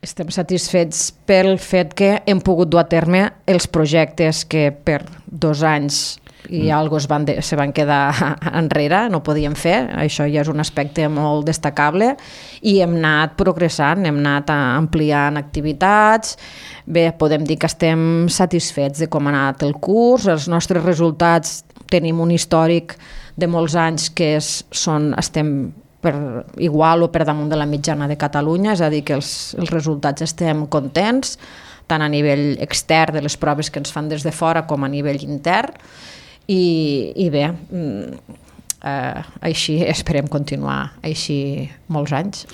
Estem satisfets pel fet que hem pogut dur a terme els projectes que per 2 anys i algo se van quedar enrere, no podíem fer, això ja és un aspecte molt destacable, i hem anat progressant, hem anat ampliant activitats. Bé, podem dir que estem satisfets de com ha anat el curs, els nostres resultats, tenim un històric de molts anys que estem per igual o per damunt de la mitjana de Catalunya, és a dir, que els resultats estem contents, tant a nivell extern de les proves que ens fan des de fora com a nivell intern, i bé, així esperem continuar així molts anys.